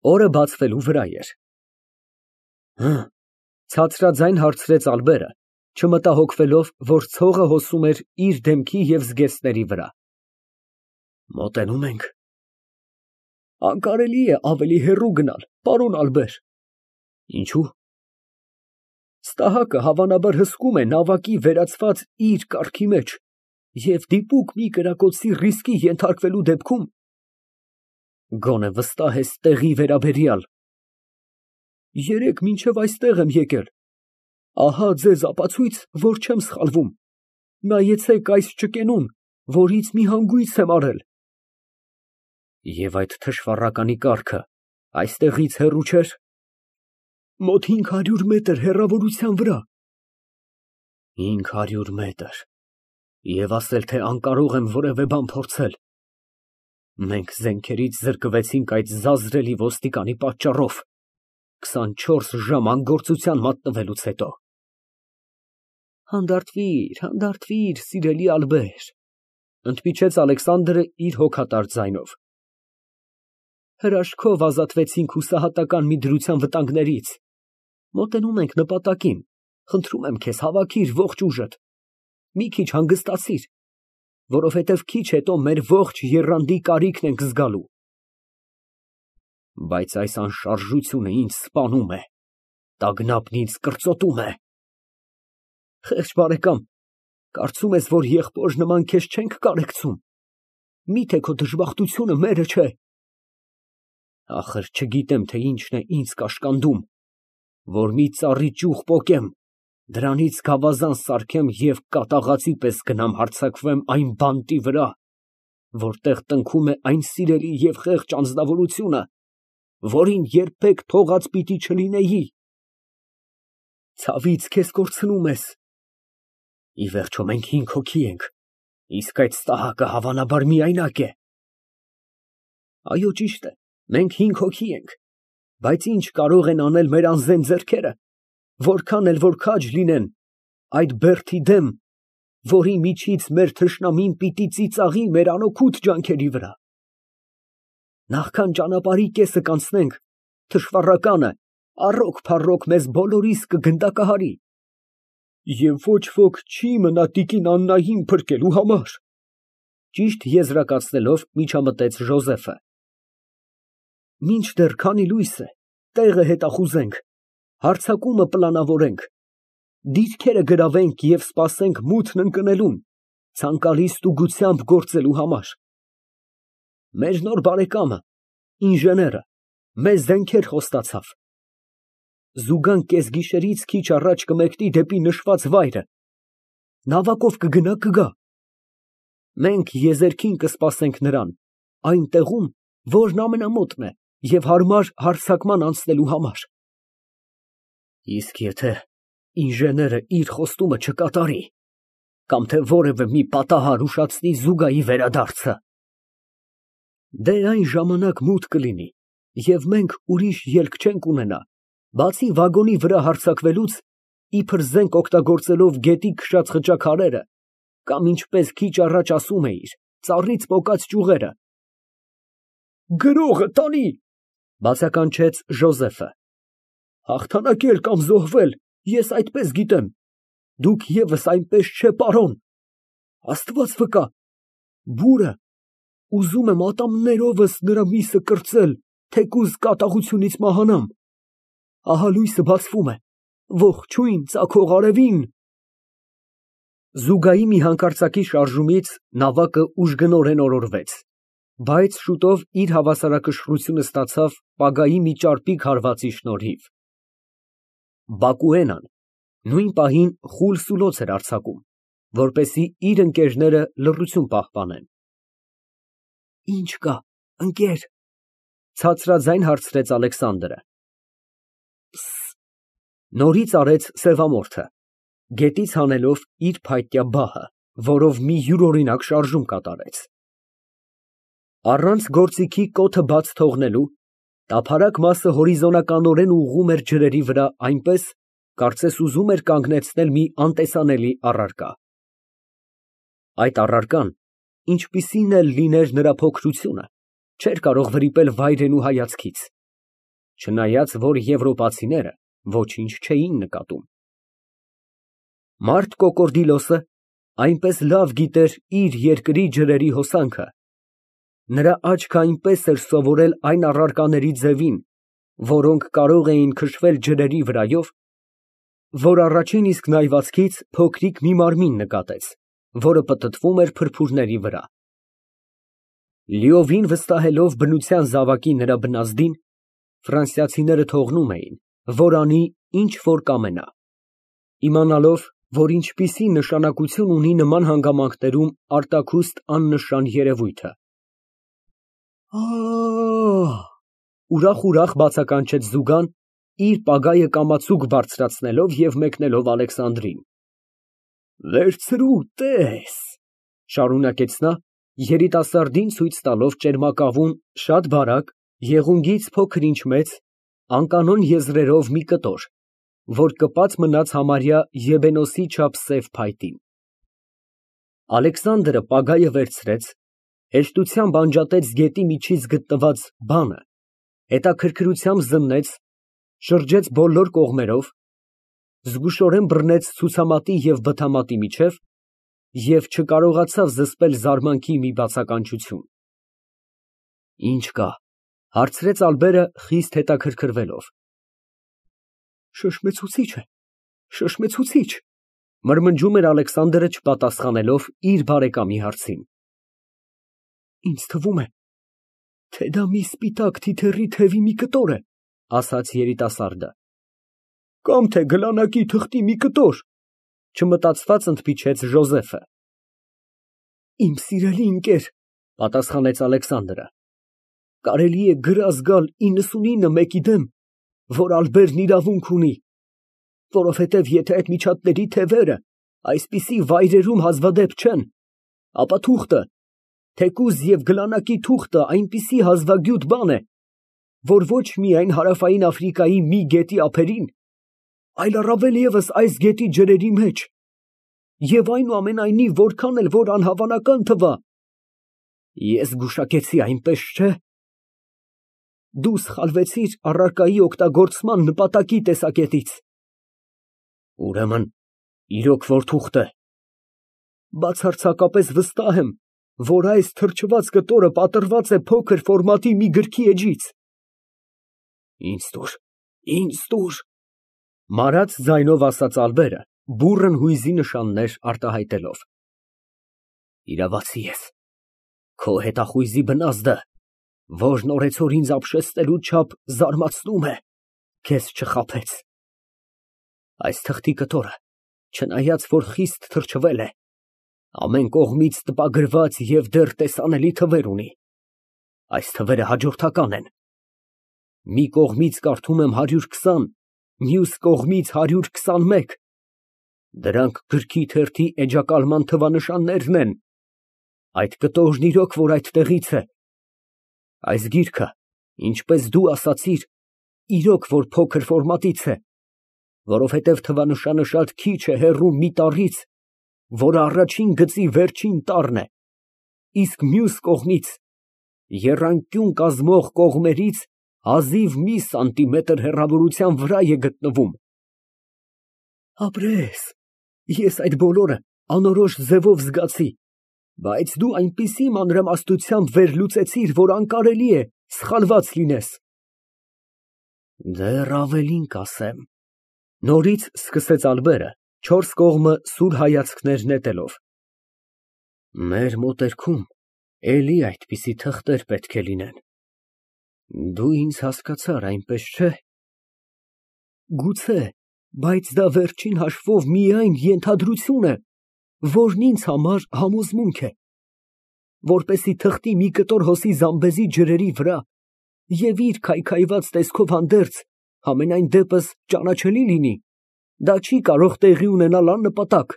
Օրը բացվելու վրա էր։ Ցածրաձայն հարցրեց Ալբերը, չմտահոգվելով, որ ցողը հոսում էր իր դեմքի և զգեստների վրա։ Մոտենում ենք։ Անկարելի է ավելի հեռու գնալ, պարոն Ալբեր։ Ինչու՞։ Ստահակը հավանաբար հսկում է նավակի վերածված իր կառքի մեջ և դիպուկ մի կրակոցի ռիսկի ենթարկվելու դեպքում գոնե վստահ ես տեղի վերաբերյալ։ Երեկ մինչև այստեղ եմ եկել, ահա ձեզ ապացույց, որ չեմ սխալվում, նայեցեք այս ճկենուն, որից մի հանգույց եմ արել։ Եվ այդ թշվառականի կառքը այստեղից հեռու չէր։ Մոտ 500 մետր հեռավորության վրա։ 500 մետր, և ասել, թե անկարող եմ որևէ բան փորձել։ Մենք զենքերից զրկվեցինք այդ զազրելի ոստիկանի պատճառով, 24 ժամ անգործության մատնվելուց հետո։ Հանդարտվիր, սիրելի Ալբեր, ընդմիջեց Ալեքսանդրը իր հոգատար ձայնով։ Հրաշքով ազատվեցինք հուսահատական մի դրության վտանգներից։ Մոտենում ենք նպատակին, խնդրում եմ քեզ, հավաքիր ողջ ուժդ, մի քիչ հանգստացիր, որովհետև քիչ հետո մեր ողջ եռանդի կարիքն ենք զգալու։ Բայց այս անշարժությունը ինձ սպանում է, տագնապն ինձ կրծոտում է։ Խեղճ բարեկամ, կարծում ես, որ եղբոր նման քեզ չենք կարեկցում։ Միթե քո դժբախտությունը մերը չէ։ Ախր չգիտեմ, թե ինչն է ինձ կաշկանդում, որ մի ծառի ճյուղ պոկեմ, դրանից գավազան սարքեմ և կատաղածի պես գնամ հարձակվեմ այն բանտի վրա, որտեղ տնքում է այն սիրելի և խեղճ անձնավորությունը, որին երբեք թողած պիտի չլինեի։ Ցավից քեզ կորցնում ես։ Ի վերջո մենք 5 հոգի ենք, իսկ այդ ստահակը հավանաբար միայնակ է։ Այո, ճիշտ է, մենք 5 հոգի ենք, բայց ինչ կարող են անել մեր անզեն ձեռքերը, որքան էլ որ քաջ լինեն այդ բերդի դեմ, որի միջից մեր թշնամին պիտի ծիծաղի մեր անօգուտ ջանքերի վրա։ Նախքան ճանապարհի կեսը կանցնենք, թշվառականը առոք֊փառոք մեզ բոլորիս կգնդակահարի, և ոչ ոք չի մնա տիկին Աննային փրկելու համար։ Ճիշտ եզրակացնելով միջամտեց Ժոզեֆը։ Մինչդեռ քանի լույս է, տեղը հետախուզենք, հարձակումը պլանավորենք, դիրքերը գրավենք և սպասենք մութն ընկնելուն, ցանկալի ստուգությամբ գործելու համար։ Մեր նոր բարեկամը, ինժեները, մեզ զենքեր խոստացավ։ Զուգան կեսգիշերից քիչ առաջ կմեկնի դեպի նշված վայրը, նավակով կգնա։ Մենք եզերքին կսպասենք նրան, այն տեղում, որն ամենամոտն է և հարմար հարձակման անցնելու համար։ Իսկ եթե ինժեները իր խոստումը չկատարի, կամ թե որևէ մի պատահար ուշացնի Զուգայի վերադարձը, դե այն ժամանակ մութ կլինի, և մենք ուրիշ ելք չենք ունենա, բացի վագոնի վրա հարձակվելուց, իբր զենք օգտագործելով գետի քշած խճաքարերը, կամ ինչպես քիչ առաջ ասում էիր, ծառից պոկած ճյուղերը։ Գրողը տանի, բացականչեց Ժոզեֆը։ Հաղթանակել կամ զոհվել, ես այդպես գիտեմ, դուք ևս այնպես չէ, պարոն։ Աստված վկա, բուրը, ուզում եմ ատամներովս նրա միսը կրծել, թեկուզ կատաղությունից մահանամ։ Ահա լույսը բացվում է, ողջույն ծագող արևին։ Զուգայի մի հանկարծակի շարժումից նավակը ուժգնորեն օրորվեց, բայց շուտով իր հավասարակշռությունը ստացավ պագայի մի ճարպիկ հարվածի շնորհիվ։ Բակուենան նույն պահին խուլ սուլոց էր արձակում, որպեսզի իր ընկերները լռություն պահպանեն։ Ինչ կա, ընկեր, ցածրաձայն հարցրեց Ալեքսանդրը։ Նորից արեց սևամորթը, գետից հանելով իր փայտյա բահը, որով մի յուրօրինակ շարժում կատարեց։ Առանց գործիքի կոթը բաց թողնելու, տափարակ մասը հորիզոնականորեն ուղղում էր ջրերի վրա այնպես, կարծես ուզում էր կանգնեցնել մի անտեսանելի առարկա։ Այդ առարկան, ինչպիսին էլ լիներ նրա փոքրությունը, չէր կարող վրիպել վայրենու հայացքից, չնայած որ եվրոպացիները ոչինչ չէին նկատում։ Մարտ Կոկորդիլոսը այնպես լավ գիտեր իր երկրի ջրերի հոսանքը, նրա աչքը այնպես էր սովորել այն առարկաների ձևին, որոնք կարող էին քշվել ջրերի վրայով, որ առաջին իսկ նայվածքից փոքրիկ մի մարմին նկատեց, որը պտտվում էր փրփուրների վրա։ Լիովին վստահելով բնության զավակի նրա բնազդին, ֆրանսիացիները թողնում էին, որ անի ինչ որ կամենա, իմանալով, որ ինչպիսի նշանակություն ունի նման հանգամանքներում արտաքուստ աննշան երևույթը։ Ուրախ բացականչեց Զուգան, իր պագայը կամացուկ բարձրացնելով և մեկնելով Ալեքսանդրին։ Վերցրու, տես, շարունակեց նա, երիտասարդին ցույց տալով ճերմակավուն, շատ բարակ, եղունգից փոքր ինչ մեծ, անկանոն եզրերով մի կտոր, որ կպած մնաց համարյա եբենոսի չափ սև փայտին։ Ալեքսանդրը պագայը վերցրեց, հեշտությամբ անջատեց գետի միջից գտնված բանը, հետաքրքրությամբ զննեց, շրջեց բոլոր կողմերով, զգուշորեն բռնեց ցուցամատի և բթամատի միջև և չկարողացավ զսպել զարմանքի մի բացականչություն։ Ինչ կա, հարցրեց Ալբերը խիստ հետաքրքրվելով։ Շշմեցուցիչ է, շշմեցուցիչ, մրմնջում էր Ալեքսանդրը չպատասխանելով իր բարեկամի հարցին։ Ինձ թվում է, թե դա մի սպիտակ թիթեռի թևի մի կտոր է, ասաց երիտասարդը։ Կամ թե գլանակի թղթի մի կտոր, չմտածված ընդմիջեց Ժոզեֆը։ Իմ սիրելի ընկեր, պատասխանեց Ալեքսանդրը, կարելի է գրազ գալ 99 մեկի դեմ, որ Ալբերն իրավունք ունի, որովհետև եթե այդ միջատների թևերը այսպիսի վայրերում հազվադեպ չեն, ապա թուղթը, թեկուզ և գլանակի թուղթը այնպիսի հազվագյուտ բան է, որ ոչ միայն հարավային Աֆրիկայի մի գետի ափերին, այլ առավել ևս այս գետի ջրերի մեջ, և այնուամենայնիվ որքան էլ որ անհավանական թվա, ես գուշակեցի, այնպես չէ։ Դու սխալվեցիր առարկայի օգտագործման նպատակի տեսակետից։ Ուրեմն, իրոք որ թուղթ է։ Բացարձակապես վստահ եմ, որ այս թրջված կտորը պատրված է փոքր ֆորմատի մի գրքի էջից։ Ինձ տուր, մարած ձայնով ասաց Ալբերը, բուռն հույզի նշաններ արտահայտելով։ Իրավացի ես, քո հետախույզի բնազդը, որն օրեցօր ինձ ապշեցնելու չափ զարմացնում է, քեզ չխաբեց։ Այս թղթի կտորը, չնայած որ խիստ թրջվել է, ամեն կողմից տպագրված և դեռ տեսանելի թվեր ունի։ Այս թվերը հաջորդական են։ Մի կողմից կարդում եմ 120, մյուս կողմից 121։ Դրանք գրքի թերթի էջակալման թվանշաններն են։ Այդ կտորն իրոք որ այդտեղից է։ Այս գիրքը, ինչպես դու ասացիր, իրոք որ փոքր ֆորմատից է, որովհետև թվանշանը շատ քիչ է հեռու մի տառից, որը առաջին գծի վերջին տառն է, իսկ մյուս կողմից, եռանկյուն կազմող կողմերից հազիվ մի սանտիմետր հեռավորության վրա է գտնվում։ Ապրես, ես այդ բոլորը անորոշ ձևով զգացի, բայց դու այնպիսի մանրամասնությամբ վերլուծեցիր, որ անկարելի է սխալված լինես։ Դեռ ավելին կասեմ, նորից սկսեց Ալբերը, չորս կողմը սուր հայացքներ նետելով։ Մեր մոտերքում էլի այդպիսի թղթեր պետք է լինեն։ Դու ինձ հասկացար, այնպես չէ։ Գուցե, բայց դա վերջին հաշվով միայն ենթադրություն է, որն ինձ համար համոզմունք է, որպեսզի թղթի մի կտոր հոսի Զամբեզի ջրերի վրա և իր քայքայված տեսքով հանդերձ համենայն դեպս ճանաչելի լինի, դա չի կարող տեղի ունենալ աննպատակ,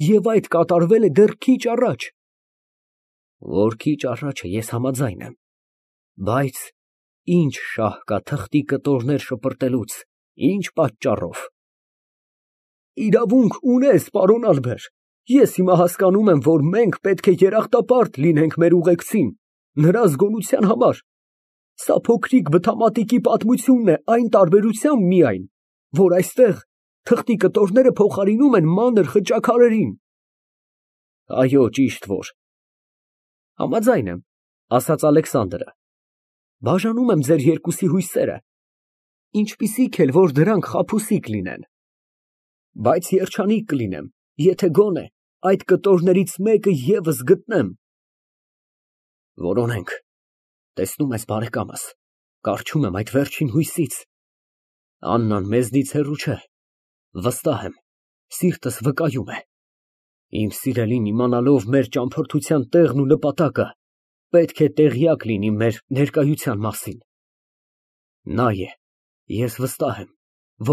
և այդ կատարվել է դեռ քիչ առաջ։ Որ քիչ առաջը ես համաձայն եմ, բայց ինչ շահ կա թղթի կտորներ շպրտելուց, ինչ պատճառով։ Իրավունք ունես, պարոն Ալբեր, ես հիմա հասկանում եմ, որ մենք պետք է երախտապարտ լինենք մեր ուղեկցին, նրա զգոնության համար, Սա փոքրիկ բթամատիկի պատմությունն է այն տարբերությամբ միայն, որ այստեղ թղթի կտորները փոխարինում են մանր խճաքարերին։ Այո, ճիշտ որ։ Համաձայն եմ, ասաց Ալեքսանդրը։ Բաժանում եմ ձեր երկուսի հույսերը, ինչպիսիք էլ որ դրանք խաբուսիկ լինեն, բայց երջանիկ կլինեմ, եթե գոնե այդ կտորներից մեկը ևս գտնեմ։ Որոնենք, տեսնում ես բարեկամս, կառչում եմ այդ վերջին հույսից։ Աննան մեզնից հեռու չէ, վստահ եմ, սիրտս վկայում է։ Իմ սիրելին իմանալով մեր ճամփորդության տեղն ու նպատակը, պետք է տեղյակ լինի մեր ներկայության մասին։ Նա է, ես վստահ եմ,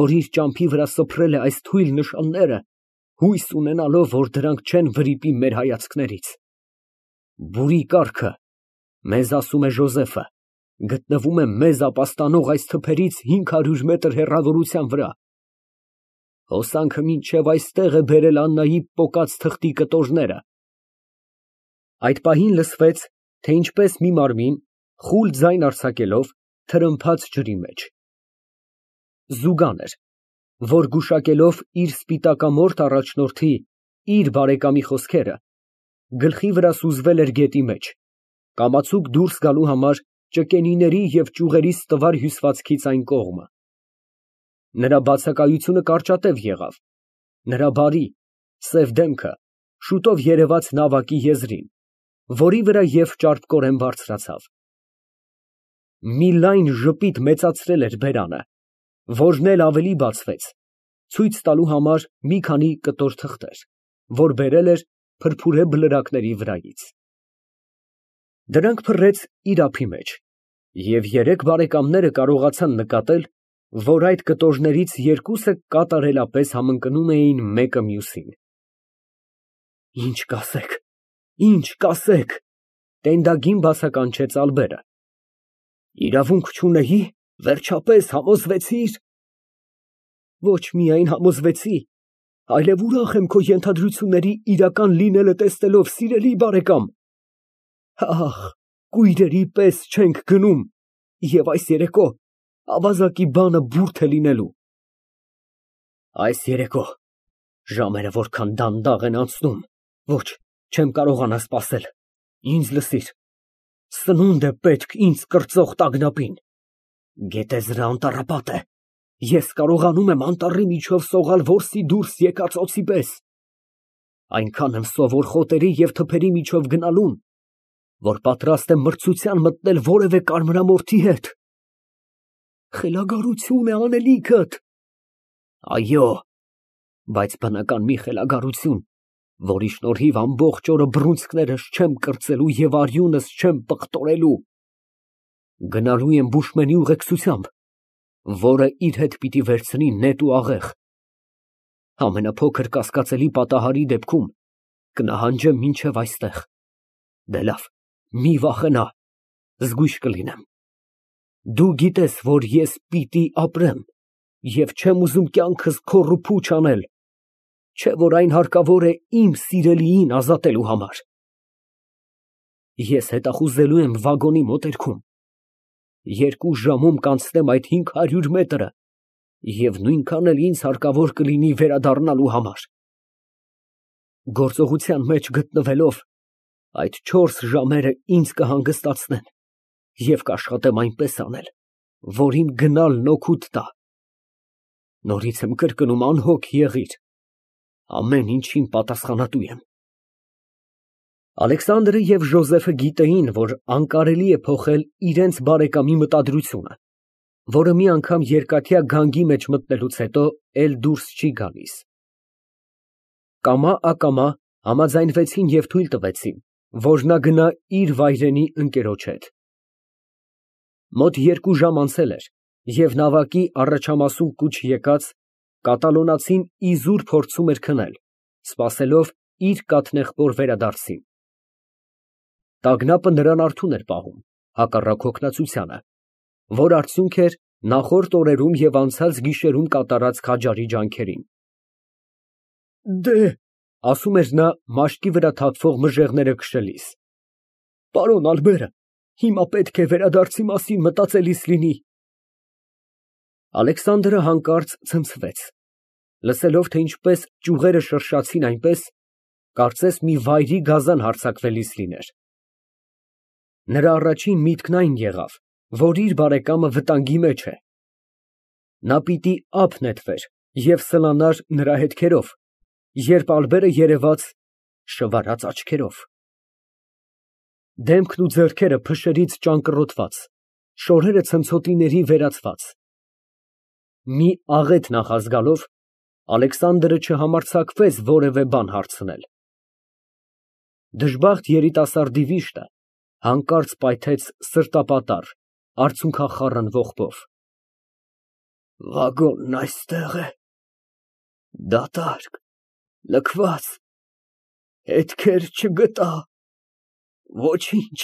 որ իր ճամփի վրա սփռել է այս թույլ նշանները, հույս ունենալով, որ դրանք չեն վրիպի մեր հայացքներից։ Բուրի կառքը, մեզ ասում է Ժոզեֆը, գտնվում է մեզ ապաստանող այս թփերից 500 մետր հեռավորության վրա։ Հոսանքը մինչև այստեղ է բերել Աննայի պոկած թղթի կտորները։ Այդ պահին լսվեց, թե ինչպես մի մարմին, խուլ ձայն արձակելով, թրմփաց ջրի մեջ։ Զուգան էր, որ գուշակելով իր սպիտակամորթ առաջնորդի, իր բարեկամի խոսքերը, գլխի վրա սուզվել էր գետի մեջ, կամացուկ դուրս գալու համար ճկենիների և ճյուղերի ստվար հյուսվածքից այն կողմը։ Նրա բացակայությունը կարճատև եղավ, նրա բարի, սև դեմքը շուտով երևաց նավակի եզրին, որի վրա և ճարպկորեն բարձրացավ։ Մի լայն ժպիտ մեծացրել էր բերանը, որն էլ ավելի բացվեց, ցույց տալու համար մի քանի կտոր թղթեր, որ բերել էր փրփուրե բլրակների վրայից։ Դրանք փռեց իր ափի մեջ, և երեք բարեկամները կարողացան նկատել, որ այդ կտորներից երկուսը կատարելապես համընկնում էին մեկը մյուսին։ Ինչ կասեք, ինչ կասեք, տենդագին բացականչեց Ալբերը։ Իրավունք չունեի, վերջապես համոզվեցի՞ր։ Ոչ միայն համոզվեցի, այլև ուրախ եմ քո ենթադրությունների իրական լինելը տեսնելով, սիրելի բարեկամ։ Ահ, կույրերի պես չենք գնում, և այս երեկո ավազակի բանը բուրդ է լինելու։ Այս երեկո, ժամերը որքան դանդաղ են անցնում, ոչ, չեմ կարողանա սպասել, ինձ լսիր, սնունդ է պետք ինձ կրծող տագնապին, գետեզրը անտառապատ է, ես կարողանում եմ անտառի միջով սողալ որսի դուրս եկած օձի պես, այնքան եմ սովոր խոտերի և թփերի միջով գնալուն, որ պատրաստ եմ մրցության մտնել որևէ կարմրամորթի հետ։ Խելագարություն է անելիքդ։ Այո, բայց բնական մի խելագարություն, որի շնորհիվ ամբողջ օրը բռունցքներս չեմ կրծելու և արյունս չեմ պղտորելու։ Գնալու եմ բուշմենի ուղեկցությամբ, որը իր հետ պիտի վերցնի նետ ու աղեղ։ Ամենափոքր կասկածելի պատահարի դեպքում կնահանջեմ մինչև այստեղ։ Դե լավ, մի վախենա, զգույշ կլինեմ։ Դու գիտես, որ ես պիտի ապրեմ և չեմ ուզում կյանքս քոռ ու փուչ անել, չէ՞ որ այն հարկավոր է իմ սիրելիին ազատելու համար։ Ես հետախուզելու եմ վագոնի մոտերքում, 2 ժամում կանցնեմ այդ 500 մետրը և նույնքան էլ ինձ հարկավոր կլինի վերադառնալու համար։ Գործողության մեջ գտնվելով, այդ 4 ժամերը ինձ կհանգստացնեն և կաշխատեմ այնպես անել, որ իմ գնալն օգուտ տա։ Նորից եմ կրկնում, անհոգ եղիր, ամեն ինչին պատասխանատու եմ։ Ալեքսանդրը և Ժոզեֆը գիտեին, որ անկարելի է փոխել իրենց բարեկամի մտադրությունը, որը մի անգամ երկաթյա գանգի մեջ մտնելուց հետո էլ դուրս չի գալիս։ Կամա֊ակամա համաձայնվեցին և թույլ տվեցին, որ նա գնա իր վայրենի ընկերոջ հետ։ Մոտ 2 ժամ անցել էր, և նավակի առաջամասում կուչ եկած կատալոնացին իզուր փորձում էր քնել, սպասելով իր կաթնեղբոր վերադարձին։ Տագնապը նրան արթուն էր պահում, հակառակ հոգնածությանը, որ արդյունք էր նախորդ օրերում և անցած գիշերում կատարած քաջարի ջանքերին։ Դեհ, ասում էր նա մաշկի վրա թափվող մժեղները քշելիս, պարոն Ալբերը, Հիմա պետք է վերադարձի մասին մտածելիս լինի։ Ալեքսանդրը հանկարծ ցնցվեց, լսելով, թե ինչպես ճյուղերը շրշացին այնպես, կարծես մի վայրի գազան հարձակվելիս լիներ։ Նրա առաջին միտքն այն եղավ, որ իր բարեկամը վտանգի մեջ է։ Նա պիտի ափ նետվեր և սլանար նրա հետքերով, երբ Ալբերը երևաց շվարած աչքերով, դեմքն ու ձեռքերը փշերից ճանկռոտված, շորերը ցնցոտիների վերածված։ Մի աղետ նախազգալով, Ալեքսանդրը չհամարձակվեց որևէ բան հարցնել։ Դժբախտ երիտասարդի վիշտը հանկարծ պայթեց սրտապատառ, արցունքախառն ողբով։ Վագոնն այստեղ է, դատարկ, լքված, հետքեր չգտա, ոչինչ։